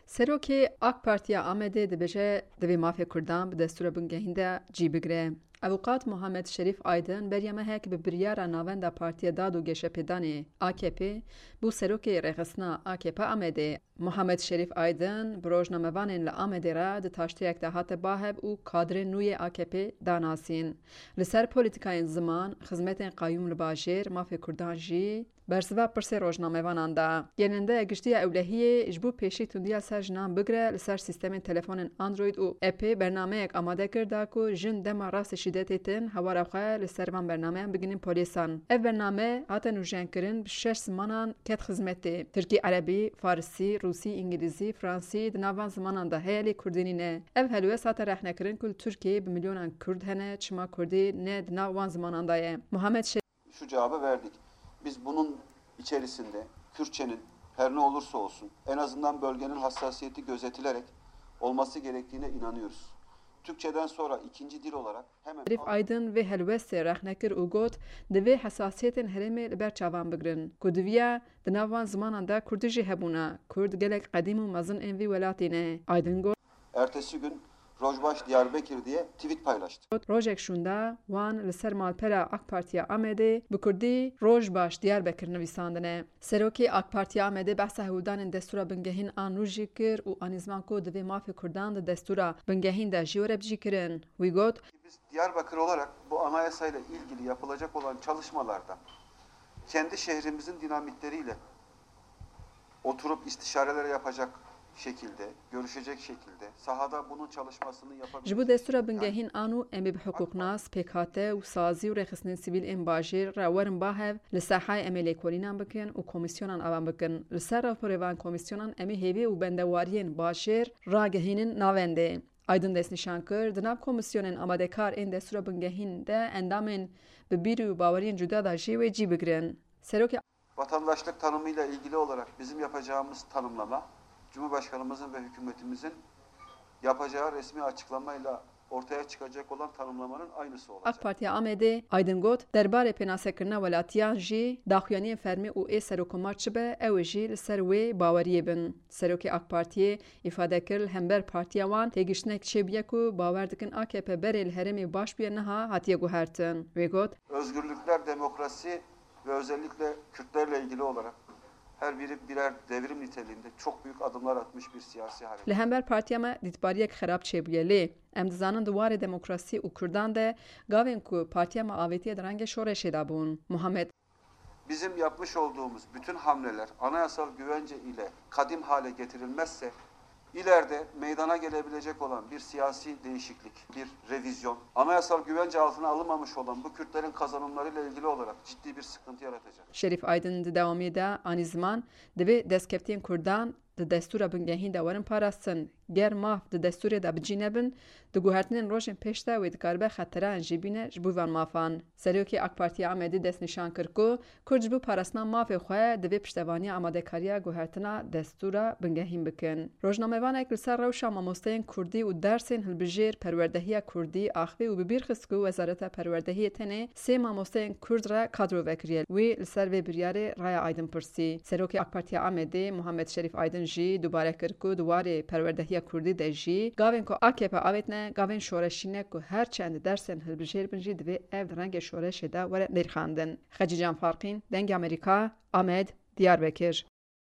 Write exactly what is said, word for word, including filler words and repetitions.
Serokê AK Partiya Amedê dibêje, divê mafê Kurdan bi destûra bingehîn de cî bigire. Avûkat Muhammed Şerîf Aydin beriya mehek bi biryara Navenda Partiya Dad û Geşepêdanê, A K P, bû serokê rêxistina A K P Amedê. Muhammed Şerîf Aydin bi rojnamevanên li Amedê re di taşteyek de hate bahev û kadrên nû yê A K P danasîn. Li ser polîtîkayên ziman, xizmetên qayûm li bajêr, mafê Kurdan jî, bersiva pirsê rojnamevanan da. Gerîndeya Giştî ya Ewlehiyê ji bo pêşî tundiya ser jinan bigire, li ser sîstemên telefonên Android û appê bernameyek amade kir da ku jin dema rastî şîdetê tin hewara xwe li ser van bernameyan bigihînin polîsan. Ev bername hate nûjenkirin, bi şeş zimanan ket xizmetê: Tirkî, Erebî, Farisî, Rûsî, Îngilîzî, Fransî di nav van zimanan de heye, lê Kurdî nîne. Ev helwest hate rexnekirin ku li Tirkiyeyê bi milyonan Kurd hene, çima Kurdî ne di nav wan zimanan de ye? Muhammed Şerîf. Şu cevabı verdik. Biz bunun içerisinde Kürtçenin her ne olursa olsun en azından bölgenin hassasiyeti gözetilerek olması gerektiğine inanıyoruz. Türkçeden sonra ikinci dil olarak hemen Şerîf Aydin vê helwestê rexne kir û got, divê hesasiyetên herêmê li ber çavan bigirin, ku diviya di nav van zimanan de Kurdî jî hebûna. Kurd gelek qedîm û mezin ên vî welatî ne. Aydin got. Ertesi gün Rojbaş Diyarbekir diye tweet paylaştı. Rojek şûnda wan li ser malpera AK Partiya Amedê bi kurdî Rojbaş Diyarbekir nivîsandine. Serokê AK Partiya Amedê behsa hewldanên destûra bingehîn a nû jî kir û anî ziman ku divê mafê kurdan di destûra bingehîn de jî were bicîkirin. Wî got. Biz Diyarbakır olarak bu anayasayla ilgili yapılacak olan çalışmalarda kendi şehrimizin dinamikleriyle oturup istişareler yapacak şekilde, görüşecek şekilde, sahada bunun çalışmasını yapabilecek. Ji bo destûra bingehîn a nû em ê bi hiqûqnas, pêkhate û sazî û rêxistinên sivîl ên bajêr re werin ba hev, li sehayê em ê lêkolînan bikin û komîsyonan avan bikin. Li ser raporê van komîsyonan em ê hêvî û bendewariyên bajêr ragihînin navendê. Aydin destnîşan kir, di nav komîsyonên amadekar ên destûra bingehîn de endamên bi bîr û baweriyên cuda de jî wê cî bigirin. Serokê Vatandaşlık tanımıyla ilgili olarak bizim yapacağımız tanımlama, Cumhurbaşkanımızın ve hükümetimizin yapacağı resmi açıklamayla ortaya çıkacak olan tanımlamanın aynısı olacak. AK Partiya Amedê, Aydin got, derbarê pênasekirina welatiyan jî daxuyaniyên fermî û ê Serokomar çi be, ew ê jî li ser wê baweriyê bin. Serokê AK Partiyê îfade kir, li hember partiya wan têgiştinek çêbûye ku bawer dikin A K P berê li herêmê baş bûye niha hatiye guhertin. Wê got. Özgürlükler, demokrasi ve özellikle Kürtlerle ilgili olarak her biri birer devrim niteliğinde çok büyük adımlar atmış bir siyasi hareket. Li hember partiya me dîtbariyek xerab çêbûye, lê em dizanin di warê demokrasî û kurdan de gavên ku partiya me avêtiye di rengê şoreşê de bûn. Muhammed. Bizim yapmış olduğumuz bütün hamleler anayasal güvence ile kadim hale getirilmezse ileride meydana gelebilecek olan bir siyasi değişiklik, bir revizyon, anayasal güvence altına alınmamış olan bu Kürtlerin kazanımlarıyla ilgili olarak ciddi bir sıkıntı yaratacak. Şerîf Aydin di dewamiyê de anî ziman, divê destkeftiyên kurdan di destûra bingehîn de werin parastin. Ger maf di destûrê de bi cî nebin, di guhertinên rojên pêş de wê dikaribe xeteran jî bîne ji bo van mafan. Serokê AK Partiya Amedê destnîşan kir ku Kurd ji bo parastina mafê xwe divê piştevaniya amadekariya guhertina destûra bingehîn bikin. Rojnamevanek li ser rewşa mamosteyên kurdî û dersên hilbijêr perwerdehiya kurdî axivî û bi bîr xist ku Wezareta Perwerdehiyê tenê sê mamosteyên kurd re kadro vekiriye. Wî li ser vê biryarê raya Aydin pirsî. Serokê AK Partiya Amedê Muhammed Şerîf Aydin jî dubare kir ku di warê perwerdehiya kurdî de jî gavên ku A K P avêtine gavên şoreşî ne ku her çend dersên hilbijêr bin jî divê ev di rengê şoreşê de were nirxandin. Xecîcan Farqîn, Dengê Amerîka, Amed, Diyarbekir.